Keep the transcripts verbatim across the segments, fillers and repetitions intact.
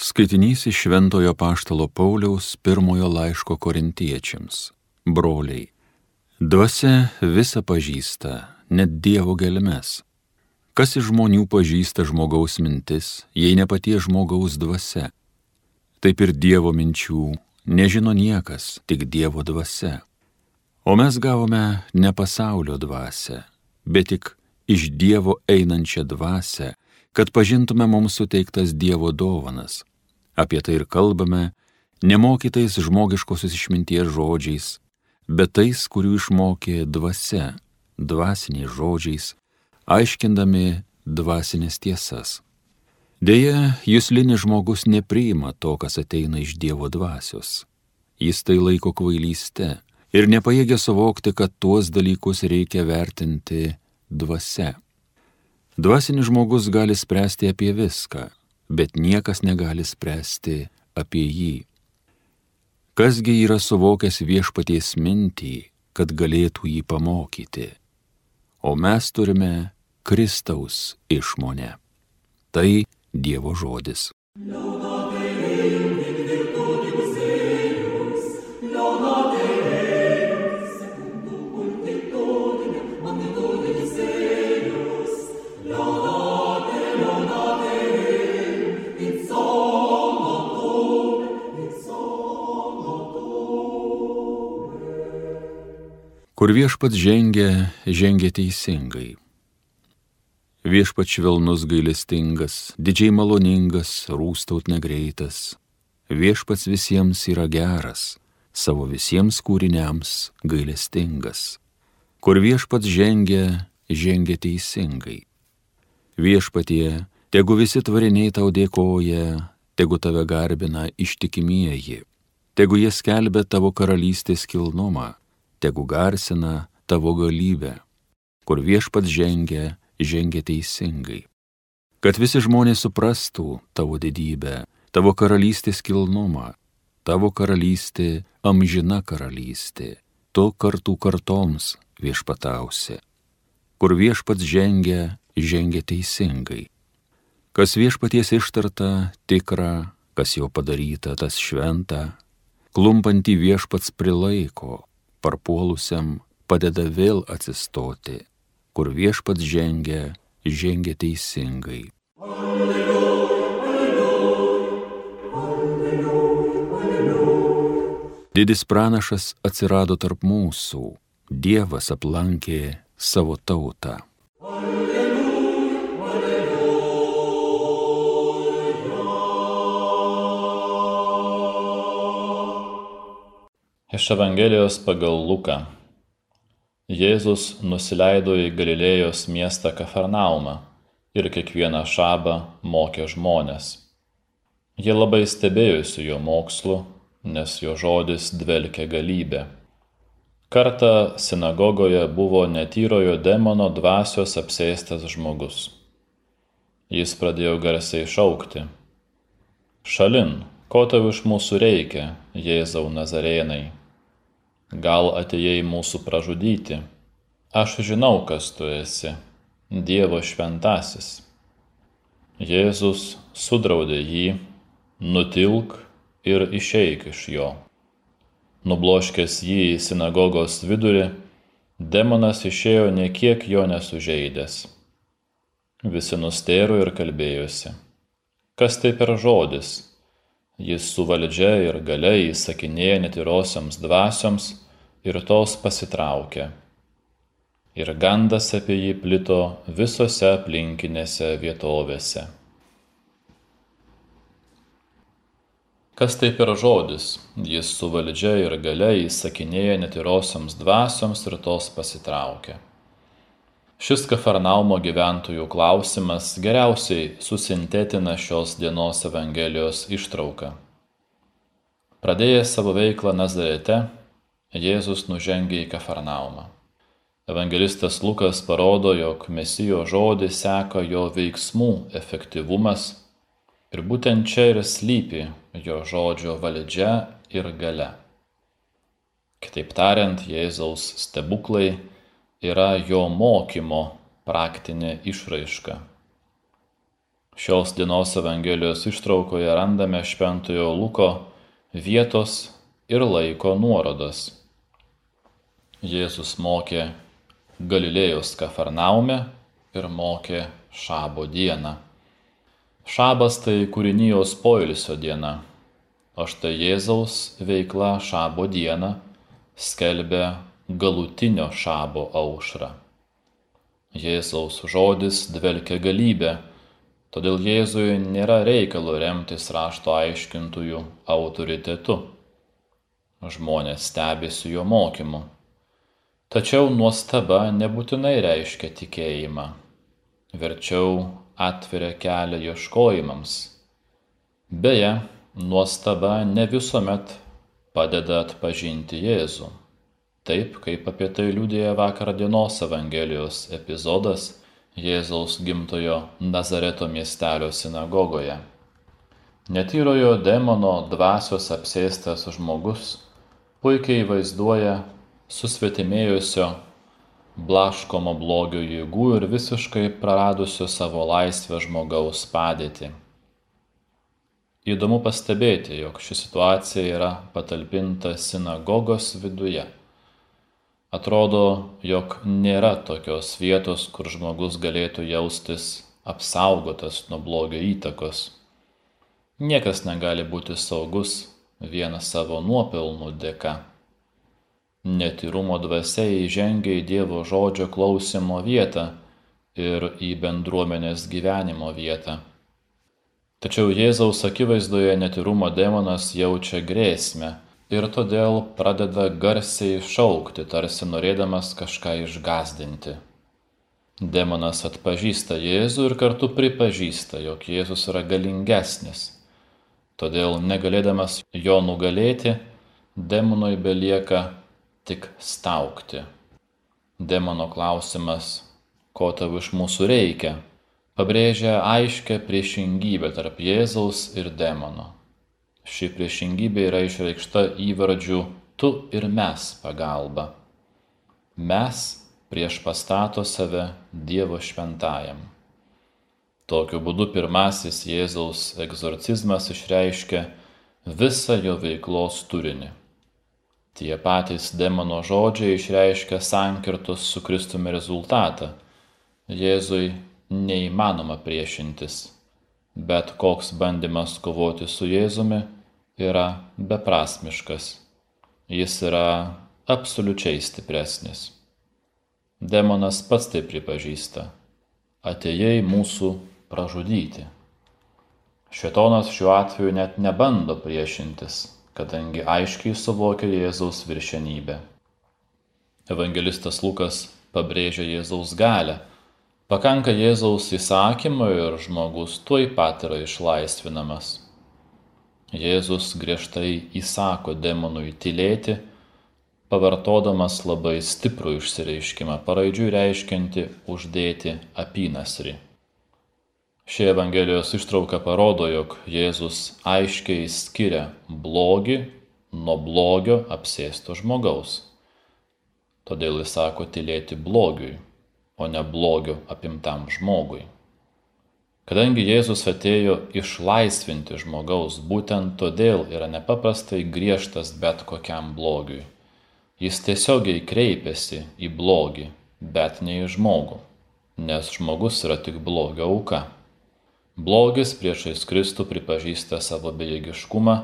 Skaitinys iš Šventojo Apaštalo Pauliaus pirmojo laiško Korintiečiams. Broliai, dvasia visa pažįsta, net Dievo gelmes. Kas iš žmonių pažįsta žmogaus mintis, jei ne paties žmogaus dvasia? Taip ir Dievo minčių nežino niekas, tik Dievo dvasia. O mes gavome ne pasaulio dvasią, bet tik iš Dievo einančią dvasią, kad pažintume mums suteiktas Dievo dovanas. Apie tai ir kalbame, nemokytais žmogiškosios išminties žodžiais, bet tais, kurių išmokė dvasia, dvasiniais žodžiais, aiškindami dvasinės tiesas. Deja, juslinis žmogus nepriima to, kas ateina iš Dievo dvasios. Jis tai laiko kvailyste ir nepajėgia suvokti, kad tuos dalykus reikia vertinti dvasia. Dvasinis žmogus gali spręsti apie viską, bet niekas negali spręsti apie jį. Kasgi yra suvokęs viešpaties mintį, kad galėtų jį pamokyti? O mes turime Kristaus išmonę. Tai Dievo žodis. Kur viešpats žengia, žengia teisingai. Viešpats švelnus gailestingas, didžiai maloningas, rūstaut negreitas. Viešpats visiems yra geras, savo visiems kūriniams gailestingas. Kur viešpats žengia, žengia teisingai. Viešpatie, tegu visi tvariniai tau dėkoja, tegu tave garbina ištikimieji, tegu jie skelbia tavo karalystės kilnumą, tegu garsina tavo galybę. Kur viešpats žengia, žengia teisingai. Kad visi žmonės suprastų tavo didybę, tavo karalystės kilnumą, tavo karalystė amžina karalystė, tu kartų kartoms viešpatausi. Kur viešpats žengia, žengia teisingai. Kas viešpaties ištarta, tikra, kas jau padaryta, tas šventa, klumpantį viešpats prilaiko, parpuolusiam padeda vėl atsistoti. Kur viešpats žengia, žengia teisingai. Alleluja, alleluja, alleluja, alleluja. Didis pranašas atsirado tarp mūsų, Dievas aplankė savo tautą. Alleluja, alleluja. Iš Evangelijos pagal Luką. Jėzus nusileido į Galilėjos miestą Kafarnaumą ir kiekvieną šabą mokė žmones. Jie labai stebėjosi jo mokslu, nes jo žodis dvelkė galybė. Kartą sinagogoje buvo netyrojo demono dvasios apsėstas žmogus. Jis pradėjo garsiai šaukti: Šalin, ko tau iš mūsų reikia, Jėzau Nazarėnai? Gal atėjai mūsų pražudyti? Aš žinau, kas tu esi, Dievo šventasis. Jėzus sudraudė jį, nutilk ir išeik iš jo. Nubloškęs jį į sinagogos vidurį, demonas išėjo nė kiek jo nesužeidęs. Visi nustėro ir kalbėjosi: kas tai per žodis? Jis su valdžia ir galia įsakinėja netyrosioms dvasioms ir tos pasitraukė. Ir gandas apie jį plito visose aplinkinėse vietovėse. Kas tai per žodis? Jis su valdžia ir galia įsakinėja netyrosioms dvasioms ir tos pasitraukė. Šis Kafarnaumo gyventojų klausimas geriausiai susintetina šios dienos Evangelijos ištrauką. Pradėjęs savo veiklą Nazarete, Jėzus nužengė į Kafarnaumą. Evangelistas Lukas parodo, jog Mesijo žodį seka jo veiksmų efektyvumas ir būtent čia ir slypi jo žodžio valdžia ir galia. Kitaip tariant, Jėzaus stebuklai yra jo mokymo praktinė išraiška. Šios dienos Evangelijos ištraukoje randame Šventojo Luko vietos ir laiko nuorodas. Jėzus mokė Galilėjos Kafarnaume ir mokė šabo dieną. Šabas tai kūrinijos poilsio diena, o štai Jėzaus veikla šabo dieną skelbia galutinio šabo aušrą. Jėzaus žodis dvelkia galybę, todėl Jėzui nėra reikalo remtis rašto aiškintojų autoritetu. Žmonės stebisi jo mokymu. Tačiau nuostaba nebūtinai reiškia tikėjimą. Verčiau atveria kelią ieškojimams. Beje, nuostaba ne visuomet padeda atpažinti Jėzų. Taip, kaip apie tai liudija vakar dienos Evangelijos epizodas Jėzaus gimtojo Nazareto miestelio sinagogoje. Netyrojo demono dvasios apsėstas žmogus puikiai vaizduoja susvetimėjusio, blaškomo blogio jėgų ir visiškai praradusio savo laisvę žmogaus padėtį. Įdomu pastebėti, jog ši situacija yra patalpinta sinagogos viduje. Atrodo, jog nėra tokios vietos, kur žmogus galėtų jaustis apsaugotas nuo blogio įtakos. Niekas negali būti saugus vien savo nuopelnų dėka. Netyrumo dvasia įžengia į Dievo žodžio klausimo vietą ir į bendruomenės gyvenimo vietą. Tačiau Jėzaus akivaizdoje netyrumo demonas jaučia grėsmę ir todėl pradeda garsiai šaukti, tarsi norėdamas kažką išgąsdinti. Demonas atpažįsta Jėzų ir kartu pripažįsta, jog Jėzus yra galingesnis. Todėl, negalėdamas jo nugalėti, demonui belieka tik staugti. Demono klausimas, ko tau iš mūsų reikia, pabrėžia aiškią priešingybę tarp Jėzaus ir demono. Ši priešingybė yra išreikšta įvardžiu tu ir mes pagalba. Mes prieš pastato save Dievo šventajam. Tokiu būdu pirmasis Jėzaus egzorcizmas išreiškia visą jo veiklos turinį. Tie patys demono žodžiai išreiškia sankirtos su Kristumi rezultatą. Jėzui neįmanoma priešintis, bet koks bandymas kovoti su Jėzumi yra beprasmiškas. Jis yra absoliučiai stipresnis. Demonas pats tai pripažįsta. Atėjai mūsų pražudyti. Šėtonas šiuo atveju net nebando priešintis, kadangi aiškiai suvokia Jėzaus viršenybę. Evangelistas Lukas pabrėžia Jėzaus galią. Pakanka Jėzaus įsakymo ir žmogus tuoj pat yra išlaisvinamas. Jėzus griežtai įsako demonui tylėti, pavartodamas labai stiprų išsireiškimą, paraidžiui reiškiantį uždėti apynasrį. Ši Evangelijos ištrauka parodo, jog Jėzus aiškiai skiria blogį nuo blogio apsėsto žmogaus. Todėl jis sako tylėti blogiui, o ne blogio apimtam žmogui. Kadangi Jėzus atėjo išlaisvinti žmogaus, būtent todėl yra nepaprastai griežtas bet kokiam blogiui. Jis tiesiogiai kreipiasi į blogį, bet ne į žmogų, nes žmogus yra tik blogio auka. Blogis priešais Kristų pripažįsta savo bejėgiškumą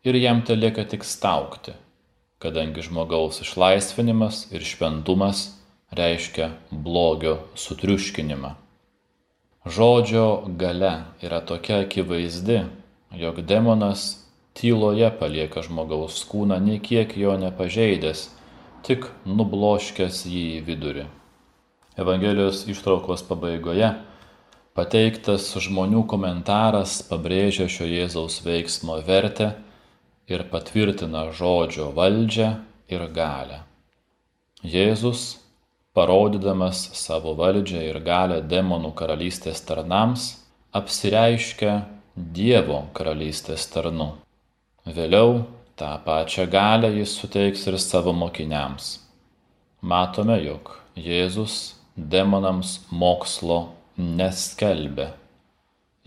ir jam telieka tik staugti, kadangi žmogaus išlaisvinimas ir šventumas reiškia blogio sutriuškinimą. Žodžio galia yra tokia akivaizdi, jog demonas tyloje palieka žmogaus kūną, nė kiek jo nepažeidęs, tik nubloškęs jį į vidurį. Evangelijos ištraukos pabaigoje pateiktas žmonių komentaras pabrėžia šio Jėzaus veiksmo vertę ir patvirtina žodžio valdžią ir galią. Jėzus, parodydamas savo valdžią ir galią demonų karalystės tarnams, apsireiškia Dievo karalystės tarnu. Vėliau tą pačią galią jis suteiks ir savo mokiniams. Matome, jog Jėzus demonams mokslo neskelbė.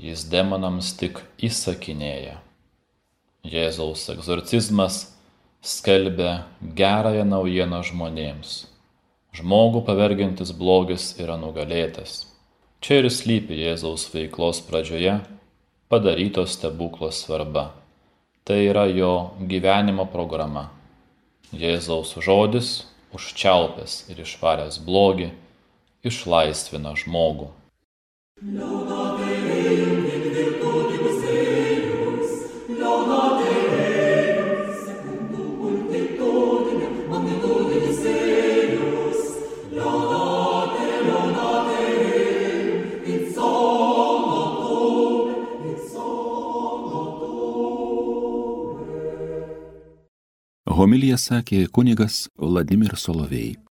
jis demonams tik įsakinėja. Jėzaus egzorcizmas skelbia gerąją naujieną žmonėms. Žmogų pavergiantis blogis yra nugalėtas. Čia ir slypi Jėzaus veiklos pradžioje padaryto stebuklo svarba. Tai yra jo gyvenimo programa. Jėzaus žodis, užčiaupęs ir išvaręs blogį, išlaisvina žmogų. Homiliją sakė kunigas Vladimir Solovej.